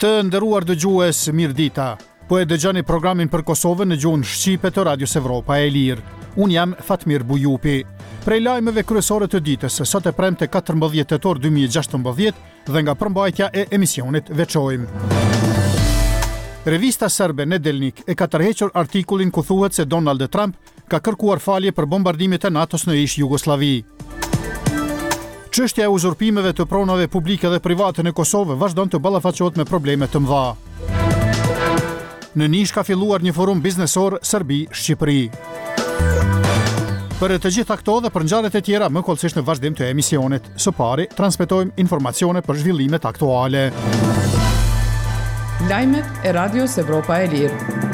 Të nderuar dëgjues, mirëdita. Po e dëgjoni programin për Kosovën në gjuhën shqipe të Radios Evropa e Lirë. Unë jam Fatmir Bujupi. Prej lajmeve kryesore të ditës, sot e premte 14 tetor 2016 dhe nga përmbajtja e emisionit veçojmë. Revista serbe Nedeljnik e ka tërhequr artikullin ku thuhet se Donald Trump ka kërkuar falje për bombardimet e NATO-s në ish-Jugosllavi. Çështja e uzurpimeve të pronave publike dhe private në Kosovë vazhdon të ballafaqohet me probleme të mëdha. Në Nish ka filluar një forum biznesor Serbi-Shqipëri. Për të gjitha këto dhe për ngjarjet e tjera më hollësisht në vazhdim të emisionit. Së pari, transmetojmë informacione për zhvillimet aktuale. Lajmet e Radios Evropa e Lirë.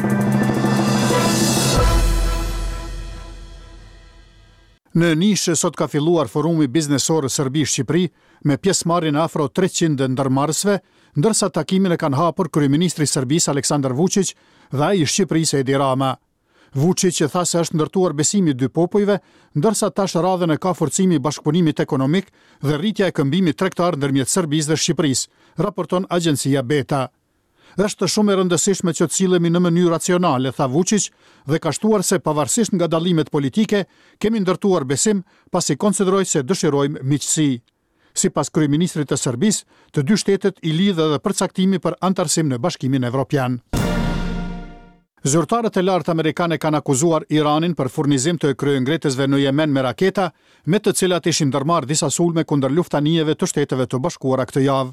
Në Nish sot ka filluar forumi biznesor Serbi-Shqipëri me pjesëmarrjen e afro 300 ndërmarrësve, ndërsa takimin e kanë hapur kryeministri i Serbisë Aleksandar Vuçiq dhe ai i Shqipërisë Edi Rama. Vuçiq tha se është ndërtuar besimi i dy popujve, ndërsa tash radhën e ka forcimi i bashkëpunimit ekonomik dhe rritja e këmbimit tregtar ndërmjet Serbisë dhe Shqipërisë, raporton agjencia Beta. Është shumë e rëndësishme që të sillemi në mënyrë racionale, tha Vuçiq dhe ka shtuar se pavarësisht nga dallimet politike, kemi ndërtuar besim, pasi konsideroj se dëshirojmë miqësi. Sipas kryeministrit të Serbisë, të dy shtetet i lidh edhe përcaktimi për anëtarësim në Bashkimin Evropian. Zyrtarët e lartë amerikanë kanë akuzuar Iranin për furnizim të kryengritësve në Jemen me raketa, me të cilat ishin ndërmarrë disa sulme kundër luftanijeve të Shteteve të Bashkuara këtë javë.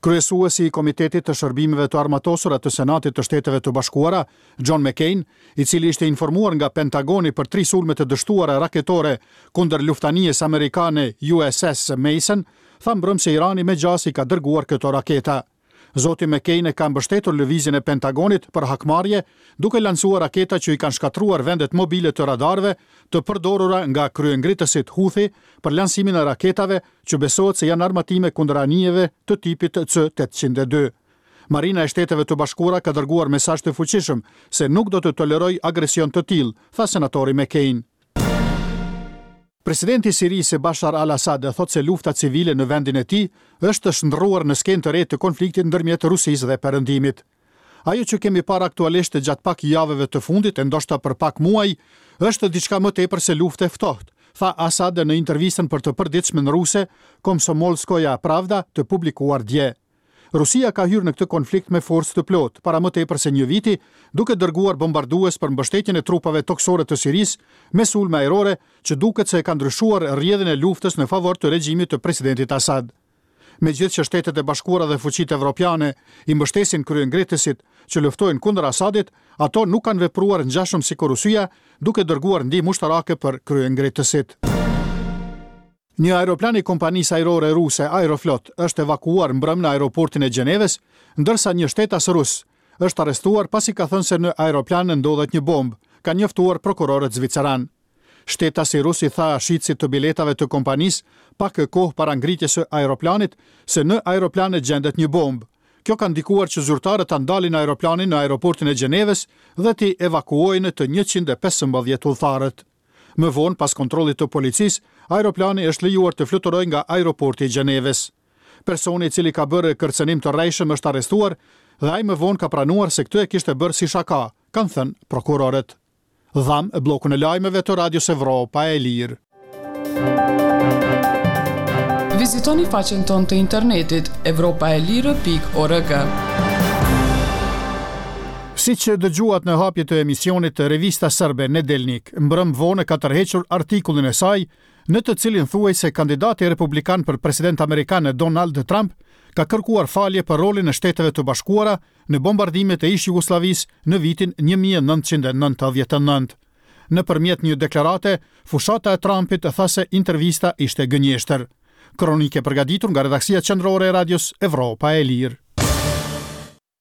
Kryesuesi i Komitetit të Shërbimeve të Armatosura të Senatit të Shteteve të Bashkuara, John McCain, i cili ishte informuar nga Pentagoni për tri sulme të dështuara raketore kundër luftanijes amerikane USS Mason, tha mbrëmë se Irani me gjasë i ka dërguar këto raketa. Zoti McCain e ka mbështetur lëvizjen e Pentagonit për hakmarrje, duke lansuar raketa që i kanë shkatërruar vendet mobile të radarëve të përdorura nga kryengritësit Houthi për lansimin e raketave që besohet se janë armatime kundër anijeve të tipit C 802. Marina e Shteteve të Bashkuara ka dërguar mesazh të fuqishëm se nuk do të tolerojë agresion të tillë, tha senatori McCain. Presidenti i Sirisë, Bashar al-Assad, thotë se lufta civile në vendin e tij është shndërruar në skenë të re të konfliktit ndërmjet Rusisë dhe Perëndimit. Ajo që kemi parë aktualisht gjatë pak javëve të fundit e ndoshta për pak muaj, është diçka më tepër se luftë e ftohtë, tha Assad në intervistën për të përditshmen ruse Komsomolskaya Pravda të publikuar dje. Rusia ka hyrë në këtë konflikt me forcë të plotë, para më tepër se një viti, duke dërguar bombardues për mbështetjen e trupave tokësore të Sirisë me sulme ajrore që duket se e ka ndryshuar rrjedhën e luftës në favor të regjimit të presidentit Assad. Megjithëqë Shtetet e Bashkuara dhe fuqitë evropiane i mbështesin kryengritësit që luftojnë kundër Asadit, ato nuk kanë vepruar ngjashëm sikur Rusia, duke dërguar ndihmë ushtarake për kryengritësit. Një aeroplan i kompanisë ajrore ruse Aeroflot është evakuuar mbrëmë në aeroportin e Gjenevës, ndërsa një shtetas rus është arrestuar pasi ka thënë se në aeroplan ndodhet një bombë, kanë njoftuar prokurorët zviceranë. Shtetasi rus i tha shitësit të biletave të kompanisë pak kohë para ngritjes së aeroplanit se në aeroplan gjendet një bombë. Kjo ka ndikuar që zyrtarët ta ndalin aeroplanin në aeroportin e Gjenevës dhe t'i evakuojnë të 115 udhëtarët. Më vonë, pas kontrollit të policisë, aeroplani është lejuar të fluturojë nga aeroporti i Gjenevës. Personi i cili ka bërë kërcënim të rrejshëm është arrestuar dhe ai më vonë ka pranuar se këtë e kishte bërë si shaka, kanë thënë prokurorët. Dhamë bllokun e lajmeve të Radios Evropa e Lirë. Vizitoni faqen tonë të internetit evropaelire.org. Siç dëgjuat në hapje të emisionit, revista serbe Nedeljnik mbrëmë vonë ka tërhequr artikullin e saj në të cilin thuhej se kandidati republikan për president amerikan Donald Trump ka kërkuar falje për rolin e Shteteve të Bashkuara në bombardimet e ish-Jugosllavisë në vitin 1999. Nëpërmjet një deklarate, fushata e Trumpit tha se intervista ishte gënjeshtër. Kronikë e përgatitur nga redaksia qendrore e Radios Evropa e Lirë.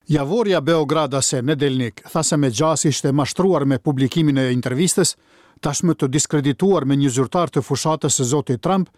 Javorja beogradase Nedeljnik tha se me gjasë ishte mashtruar me publikimin e intervistës, tashmë të diskredituar me një zyrtar të fushatës së zotit Trump,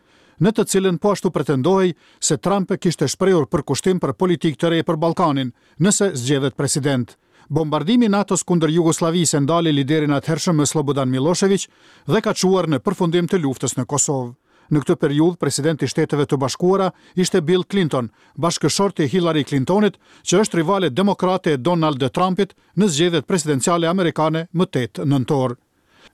në të cilën po ashtu pretendohej se Trump kishte shprehur përkushtim për politikë të re për Ballkanin, nëse zgjedhet president. Bombardimi i NATO-s kundër Jugosllavisë e ndali liderin e atëhershëm Sllobodan Millosheviq dhe ka çuar në përfundim të luftës në Kosovë. Në këtë periudhë, president i Shteteve të Bashkuara ishte Bill Clinton, bashkëshort i Hillary Clintonit, që është rivale demokrate e Donald Trumpit në zgjedhjet presidenciale amerikane më 8 nëntor.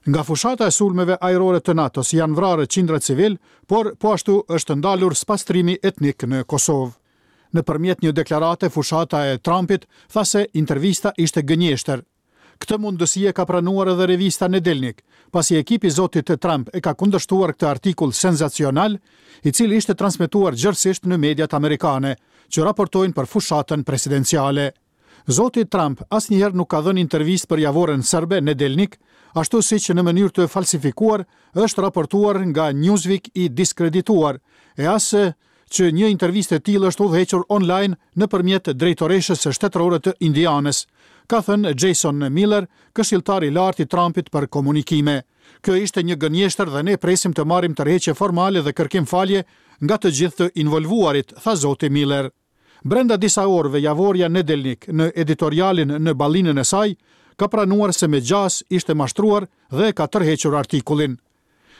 Nga fushata e sulmeve ajrore të NATO-s janë vrarë qindra civilë, por po ashtu është ndalur spastrimi etnik në Kosovë. Nëpërmjet një deklarate fushata e Trumpit tha se intervista ishte gënjeshtër. Këtë mundësi e ka pranuar edhe revista Nedeljnik, pasi ekipi i zotit Trump e ka kundërshtuar këtë artikull senzacional, i cili ishte transmetuar gjerësisht në mediat amerikane, që raportojnë për fushatën presidenciale. Zoti Trump asnjëherë nuk ka dhënë intervistë për javoren serbe Nedeljnik, ashtu siç në mënyrë të falsifikuar është raportuar nga Newsweek i diskredituar, e as që një intervistë e tillë është udhëhequr online nëpërmjet drejtoreshës shtetërore të Indianës, ka thënë Jason Miller, këshilltar i lartë i Trumpit për komunikime. Kjo ishte një gënjeshtër dhe ne presim të marrim tërheqje formale dhe kërkim falje nga të gjithë të involvuarit, tha zoti Miller. Brenda disa orëve javorja Nedeljnik në editorialin në ballinën e saj ka pranuar se me gjasë ishte mashtruar dhe e ka tërhequr artikullin.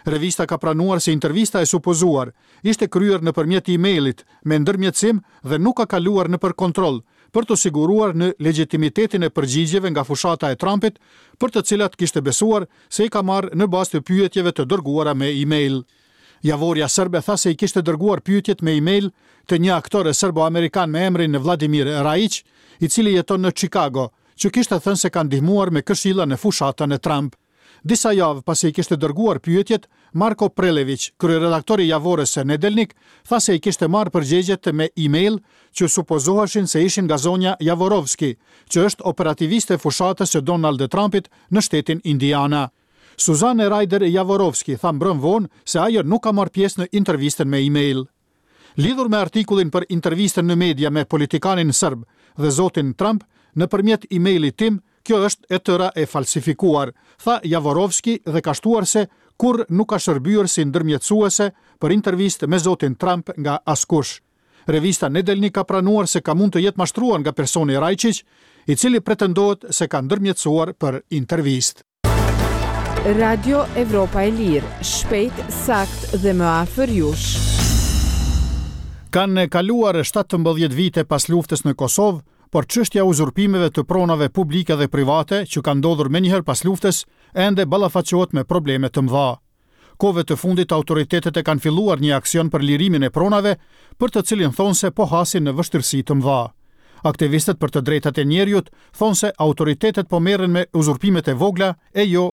Revista ka pranuar se intervista e supozuar ishte kryer nëpërmjet e-mailit me ndërmjetësim dhe nuk ka kaluar nëpër kontroll për t'u siguruar në legjitimitetin e përgjigjeve nga fushata e Trumpit, për të cilat kishte besuar se i ka marrë në bazë të pyetjeve të dërguara me e-mail. Javorja serbe tha se i kishte dërguar pyetjet me e-mail te një aktor serbo-amerikan me emrin Vladimir Rajiq, i cili jeton në Chicago, që kishte thënë se ka ndihmuar me këshilla në fushatën e Trump. Disa javë pasi i kishte dërguar pyetjet, Marko Preleviq, kryeredaktor i javores së Nedeljnik, tha se i kishte marrë përgjigjet me e-mail që supozoheshin se ishin nga zonja Javorovski, që është operativiste e fushatës së Donald Trumpit në shtetin Indiana. Suzanne Ryder Javorovski tha mbrëmë vonë se ajo nuk ka marrë pjesë në intervistën me e-mail. Lidhur me artikullin për intervistën në media me politikanin serb dhe zotin Trump, nëpërmjet e-mailit tim, kjo është e tëra e falsifikuar, tha Javorovski dhe ka shtuar se kurrë nuk ka shërbyer si ndërmjetësuese për intervistë me zotin Trump nga askush. Revista Nedeljnik ka pranuar se ka mund të jetë mashtruar nga personi Rajçiq, i cili pretendohet se ka ndërmjetësuar për intervistë. Radio Evropa e Lirë, shpejt, saktë dhe më afër jush. Kanë kaluar 17 vite pas luftës në Kosovë, por çështja e uzurpimeve të pronave publike dhe private që ka ndodhur menjëherë pas luftës, ende ballafaqohet me probleme të mëdha. Kohëve të fundit autoritetet e kanë filluar një aksion për lirimin e pronave, për të cilin thonë se po hasin në vështirësi të mëdha. Aktivistët për të drejtat e njeriut thonë se autoritetet po merren me uzurpimet e vogla e jo.